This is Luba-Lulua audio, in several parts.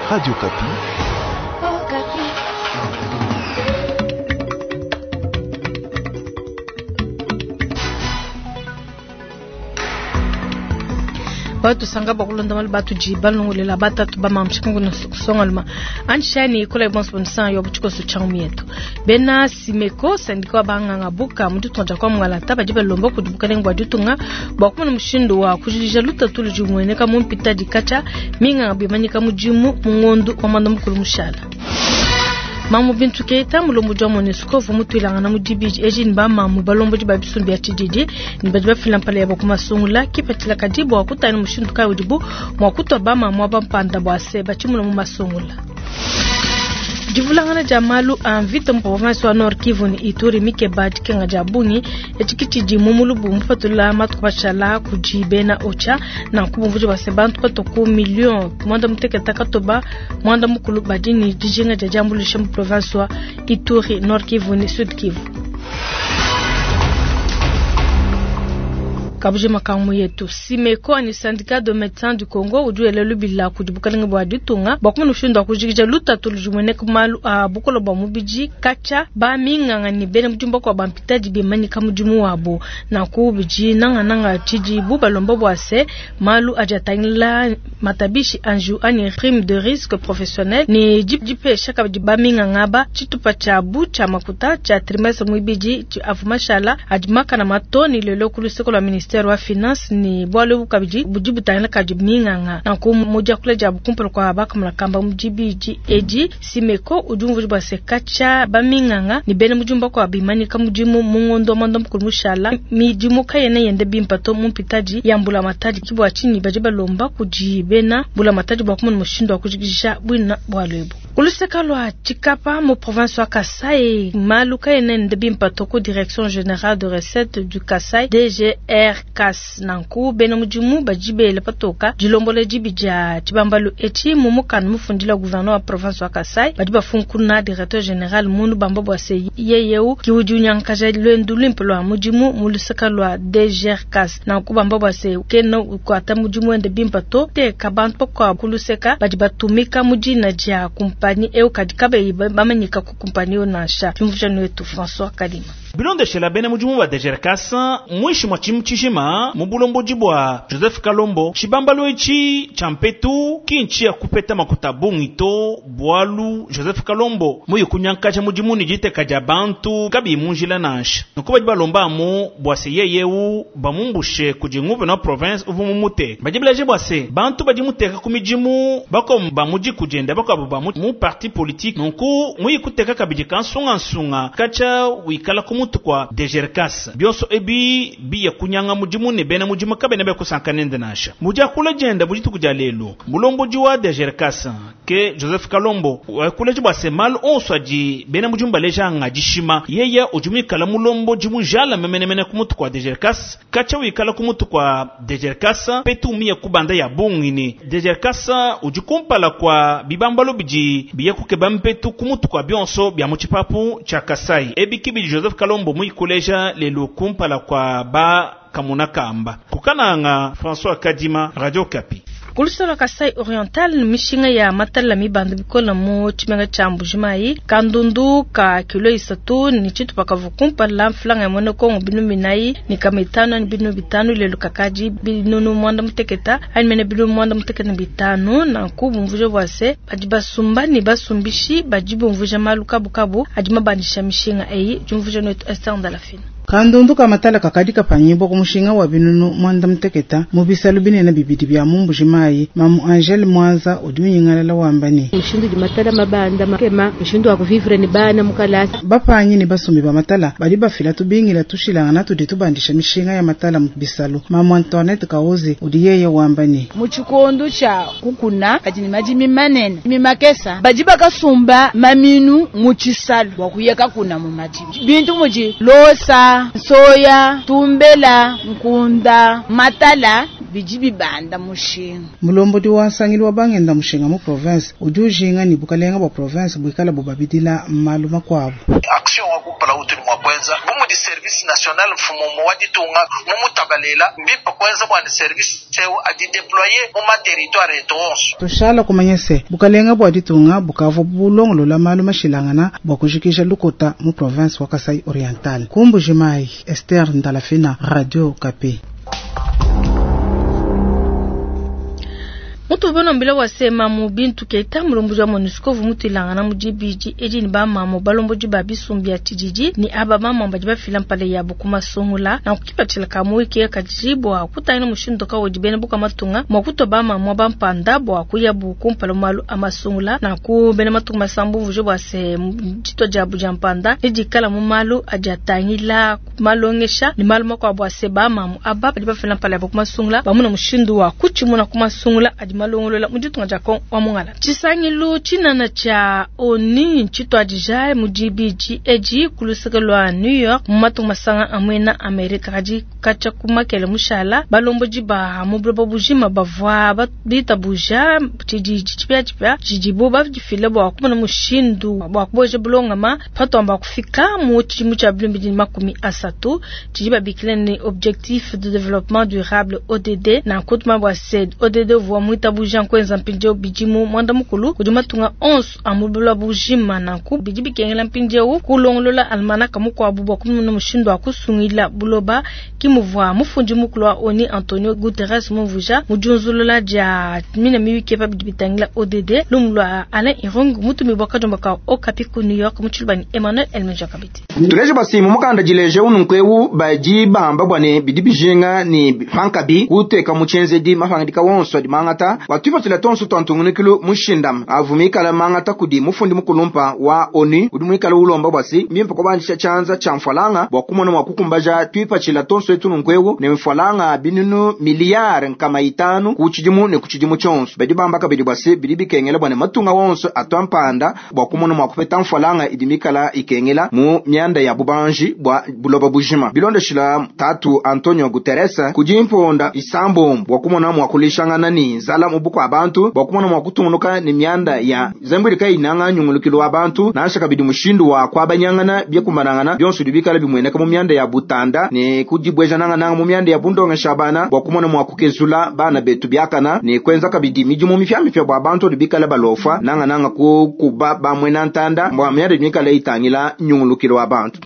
Radio Okapi. Batusanga bakulonda malu batudi balongolela batatu bamamshikungu kusongaluma anshani ikola bonso bonsa yo butshikoso tsha mietu bena simeko sandika wa banganga buka mu ditunga dia kwa mwalata badi balomba kudi bukalenge bua ditunga bua kumona mushindu wa kujidija lutatu ludi lumueneka mu mpita dikatshia minganga bimanyika mudimu mu ngondu wa mwanda mukulu mushala. Mamu Bintu Keita mulombodi wa MONUSCO uvua mutuilangana mu dibidi edi ne bamamu balombodi ba bisumbu bia tshididi ne badi bafila mpala yabo ku masungula kipatshila kadi bua kutangila mushindu kayi udibu mua kutua bamamu aba mpanda bua se batshimuna mu masungula. Divulangana dia malu a mvita mu province wa Nord Kivu ne Ituri mikeba dikenga dia bungi etshi ke tshidi mu mulubu mupatula matuku mashala kudi bena OCHA nanku bumvuija bua se bantu batua ku million muanda mutekete katoba muanda mukulu badi ne dijinga dia diambuluisha mu province wa Ituri, Nord Kivu ne Sud Kivu. Kabujima ka mu yetu Simeko ani syndicat de médecins du Congo udi wela lubila kudi bukalenge bua ditunga bua kumona mushindu wa kujikija lutatu ludi lumueneka mu malu a bukole bua mubidi katshia ba minganga ne bena mudimu bakuabu ba mpitadi bimanyika mudimu wabu. Nanku bidi nangananga tshidibu balomba bua se malu adi atangila matabishi a njiwu anyi prime de risque professionnel ne dipesha kabidi ba minganga aba tshitupa tshiabu tshia makuta tshia trimestre muibidi avua mashala adi makana mato ne lelo ku luseke lua ministere wa finance ne bualu ebu kabidi budi butangila kadi minganga. Nanku mu diakula diabu kumpala kua bakamona kamba mu dibidi edi, Simeko udi umvuija bua se katshia ba minganga ne bena mudimu bakuabu bimanyika mudimu mu ngondo wa muanda mukulu mushala, midimu kayena yenda bimpe to mu mpitadi ya mbulamatadi. Ke bua tshinyi badi balomba kudi bena mbulamatadi bua kumona mushindu wa kujikija buina bualu ebu. Ku luseke lua Tshikapa mu province wa Kasai, malu kaena enda bimpe to ku Direction Generale de Recettes du Kasai DGRCAS. Nanku bena mudimu badi bela patoka dilombola dibi dia tshibambalu etshi mu mukanda mufundila gouverneur wa province wa Kasai. Badi bafunkuna directeur general munu bamba bua se yeye eu ki udi unyankaja luendu luimpe lua mudimu mu luseke lua DGRCAS. Nanku bamba bua se kena ukuata mudimu wende bimpe to, teka bantu bakuabu ku luseka badi batumika mu dina dia kumpanyi eu kadi kabayi bamanyika ku kumpanyi eu nansha. Tumvuija nuetu François Kalima. Bilondeshela bena mudimu ba DGRCAS muinshi mua tshimu tshijima mu bulombodi bua Joseph Kalombo, tshibambalu etshi tshia mpetu ki ntshia kupeta makuta a bungi to, bualu Joseph Kalombo muye kunyankaja mudimu ne diteka dia bantu kabiyi mu njila nansha. Nunku badi balomba amu bua se yeye eu bamumbushe kudi nguvena wa province uvua mumuteke. Badi baleja bua se bantu badi muteka ku midimu bakuabu ba mu diku diende, bakuabu ba mu parti politique. Nunku muye kuteka kabidi kansungansunga katshia wikala ku mutu kua DGRCAS. Bionso ebi biya kunyanga mudimu ne bena mudimu kabena baya kusanka nende nansha. Mu diakula diende mu dituku dia lelu, mulombodi wa DGRCAS ke Joseph Kalombo wakuleja bua se malu onso adi bena mudimu baleja nga dishima. Yeye udi muikala mulombodi mujalame menemene ku mutu kua DGRCAS, katshia wikala ku mutu kua DGRCAS petu miya kubanda ya bungi ne DGRCAS udi kumpala kua bibambalu bidi biya kukeba mpetu ku mutu kua bionso bia mu tshipapu tshia Kasai. Ebi ki bidi Joseph Kalombo muikuleja lelu kumpala kua ba kamuna kamba. Kukananga François Kadima, Radio Okapi. Ku luseke lua Kasai Oriental, mishinga ya matala mibanda bikole mu tshimenga tshia Mbuji-Mayi, kandundu ka kilo 3 ne tshitupa kavua kumpala mfranga ya muena Kongo binunu binayi ne kama itanu anyi binunu bitanu, lelu kakadi binunu muanda muteketa anyi mene binunu muanda muteketa ne bitanu. Nanku bumvuija bua se badi basumba ne basumbishi badi bumvuija malu kabukabu adi mabandisha mishinga eyi. Diumvuija netu Esther Ndalafina. Kandundu ka matala kakadi kapanyibua ku mushinga wa binunu muanda muteketa mu bisalu binene bibidi bia mu Mbuji-Mayi. Mamu Angele Mwanza udi unyingalala wamba ne, mushindu udi matala mabanda makema, mushindu wa kuvivre ne bana mu kalasa. Bapanyi ne basumbi ba matala badi bafila tubingila tushilangana tudi tubandisha mishinga ya matala mu bisalu. Mamu Antoinette Kaozi udi yeye wamba ne, mu tshikondo tshia kukuna badi ne madimi manene mimakesa badi bakasumba maminu mu tshisalu bua kuya kakuna mu madimi bintu mudi losa, soya, tumbela, nkunda, matala. bidi bibanda mushinga. Mulombodi wa nsangilu wa bangenda mushinga mu province udi ujinga ne bukalenga bua province buikala bubabidila malu makuabu. Action wa kumpala utudi mua kuenza bu mudi service national mfumu wa ditunga mumutabalela mbimpe kuenza bua ne service eu adi déployer mu ma territoire etu onso. Tushala kumanya se bukalenga bua ditunga bukavua bulongolola malu mashilangana bua kujikija lukota mu province wa Kasai Oriental. Ku Mbuji-Mayi, Esther Ndalafina, Radio Okapi. Mutu ubona mbila wasema mu bintu keita mulomboji wa MONUSCO vumutuilangana mu dibidi edi ni bamamo balomboji ba bisumbu bia tshididi ni aba bamamo badi bafila mpala yabo ku masungula na kukipatshila ka muwiki kadi bua kutangila mushindu kaudi bena buka matunga mua kutua bamamo bampanda bua kuyabu kumpala mu malu a masungula na ku bena matunga masambu mvuje bua se ditua diabu dia mpanda ne dikala mu malu adi atangila malongesha ni malu makuabu a se bamamo aba badi bafila mpala yabo ku masungula bamuna mushindu wa kutshimuna ku masungula adi malongolola mu ditunga dia Kongo wa Mongala. Tshisangilu tshinene tshia ONU tshituadija mu dibidi edi ku luseke lua New York mu matunga masanga a muena Amerika. Kadi katshia ku makele mushala balombodi ba mu buloba bujima bavua bitabuja tshididi tshipiatshipia tshidibo badifile bua kumona mushindu bua kubueja bulongama patuamba kufika mu tshidimu tshia 2030 tshidi babikila ne Objectif de Développement Durable ODD. Nanku tumanye bua se ODD uvua muitabuja nkuenza mpindieu bidimu muanda mukulu kudi matunga onso a mu buloba bujima. Nanku bidi bikengela mpindieu kulongolola almanaka mukuabu bua kumona mushindu wa kusungila buloba. Ki muvua mufundi mukulu wa ONU Antonio Guterres mumvuija mu diunzulula dia mine miyuki pa bidi bitangila ODD. Lumu lua Alain Irung mutumibua kadiomba ka Okapi ku New York mu tshiluba ni Emmanuel Elmeja kabidi. Tuleje basi mu mukanda dileje ununku eu badi bamba bua ne bidi bijinga ne pankabi kuteka mu tshienzedi mapangidika wonso adi mangata bua tuipatshila tonso tua ntungunukilu mushindama avu mikala mangata kudi mufundi mukulumpa wa ONU udi muikala ulomba bua si mbimpe kubandisha tshianza tshia mfualanga bua kumona mua kukumbaja tuipatshila tonso etu nunku eu ne mfualanga binunu miliyari nkama itanu ku tshidimu ne ku tshidimu tshionso. Badi bamba kabidi bua si bidi bikengela bua ne matunga wonso atua mpanda bua kumona mua kupeta mfualanga idi mikala ikengela mu mianda ya bubanji bua buloba bujima. Bilondeshila tatu Antonio Guterres kudi mponda isambombo bua kumona mua kulishangana ni nzala mu bukua bantu bua kumona mua kutungunuka ne mianda ya zambwili kayinanga nyungulukilu wa bantu nansha kabidi mushindu wa kuabanyangana byekumbanangana bionso bidi bikala bimueneka mu mianda ya butanda ne kudibwejanangananga mu mianda ya bundongesha bana bua kumona mua kukezula bana betu biakana ne kuenza kabidi midimu mipiamipia bua bantu bikala balofa nangananga kukuba bamwena ntanda bua mianda mikala itangila nyungulukilu wa bantu.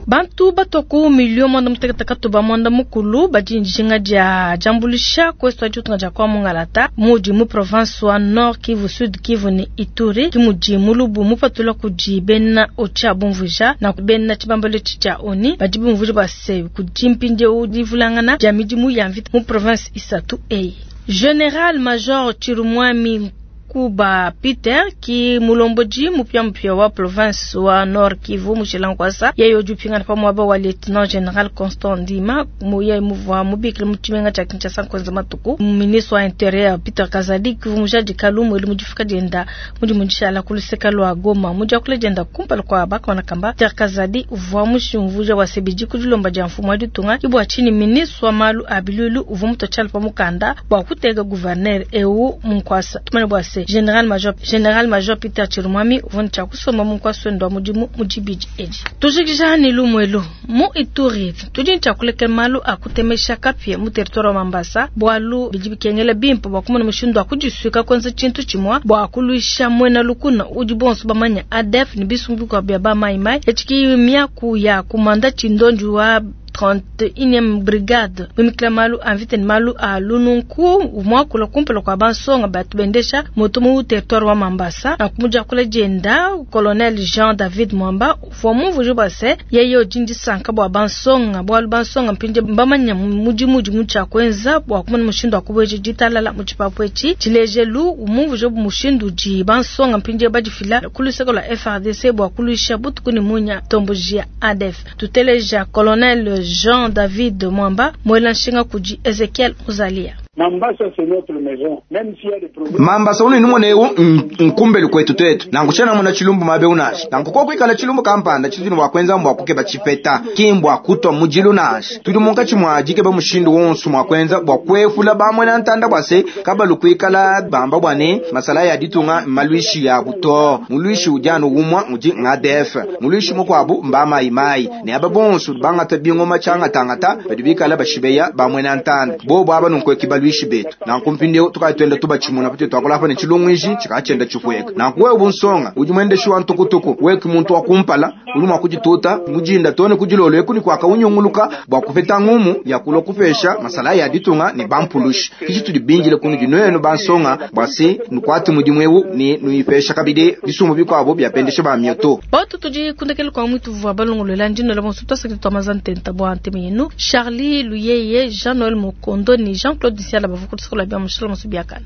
Bantu batoku milio mwanda mutekete katuba mwanda mukulu badi njinga dia jambulisha kwesu adi utunga dia kwa Mungalata mudi mu province wa Nord Kivu, Sud Kivu ne Ituri kimudi mulubu mupatula kudi bena OCHA bumvuja na bena tshibambalo tshia ONU badi bumvuja base kudi mpindieu divulangana dia midimu ya mvita mu province isatu eyi. General Major Chirumwami Kuba Peter ki mulomboji mupya mupya wa province wa Nord Kivu mushilankwasa yeye udi upingana pa muaba wa Lieutenant General Constant Ndima muye muvua mubikile mu tshimenga tshia Kinshasa nkuenza matuku. Ministre wa Interieur Peter Kazadi Kivu mujadi kalumu eli mudifika dienda mudi mudishala ku luseka lua Goma mudiakula dienda kumpala kua bakona kamba. Peter Kazadi uvua mushimvuja wa sebidi ku dilomba dia mfumu wa ditunga ibua chini ministre wa malu a bilulu uvua mutotshala pa mukanda bua kuteka gouverneur eu munkwasa tumane bua se General Major Peter Chirumwami uvua ne tshia kusomba mu nkwasa wende wa mudimu mu dibidi edi. Tujikija ne lumwelu mu Ituri tudi ne tshia kulekela malu a kutemesha kapia mu territoire wa Mambasa bualu bidi bikengela bimpe bua kumona mushindu wa kudisuika kuenza tshintu tshimue bua kuluisha muena lukuna udi bonso bamanya ADF ne bisumbu bikuabu bia ba mai mai etshiki miaku ya kumanda tshindonji wa 31e brigade mimikila malu a mvita ne malu a lununku muakula kumpala kua bansonga batu bendesha moto mu territoire wa Mambasa na kumudiakula dienda colonel Jean David Mwamba uvua mumvuije bua se yeye udi ndisanka bua bansonga bualu bansonga mpindie mbamanya mudimu udi mu tshia kuenza bua kumona mushindu wa kubueja ditalala mu tshipapu etshi. Tshilejelu mumvuije mushindu udi bansonga mpindie badifila ku luseke lua FARDC bua kuluisha butuku ne munya tomboji ya ADF. Tuteleja colonel Jean David Mwamba mwela nshinga kudi Ezekiel Muzalia. Mambasa unudi numona ewu nkumbelu kuetu tuetu, nanku tshiena mona tshilumbu muaba ewu nansha. Nanku koku ikala tshilumbu kampanda tshitudi ne bua kuenza mbua kukeba tshipeta, ki mbua kutua mudilu nansha. Tudi munkatshi mua dikeba mushindu wonso mua kuenza bua kuepula bamuena ntanda bua se kabalu kuikala bamba bua ne masala ya ditunga mmaluishi yabu to. Muluishi udi anu umua udi ADF, muluishi mukuabu mba mai mai, ne aba bonso bangata bingoma tshiangatangata badi bikala bashibeya bamuena ntanda bobo aba nunku baluishi betu. Nanku mpindieu tukadi tuenda tubatshimuna patu tuakula pa ne tshilungu tshikatshienda tshipueka. Nanku wewe bunsonga udi muendeshi wa ntukutuku weki muntu wa kumpala udi mua kudituta mujinda tone kudilolo eku ni kuaka unyunguluka bua kupeta ngumu ya kulua kupesha masala ya ditunga ne bampulushi. Kishi tudi binjile kunu dinuenu bansonga bua se nukuate mudimu ewu ne nuipesha kabidi bisumbu bikuabo bia bendesha ba mioto. Batu tudi kundekele kwa mwitu vua balongolola ndino la bonso twasakiti twamaza ntenta bua nteme yenu Charlie Luyeye, Jean-Noël Mokondo ni Jean-Claude Siala bavukutisikola bia mushala musu biakana.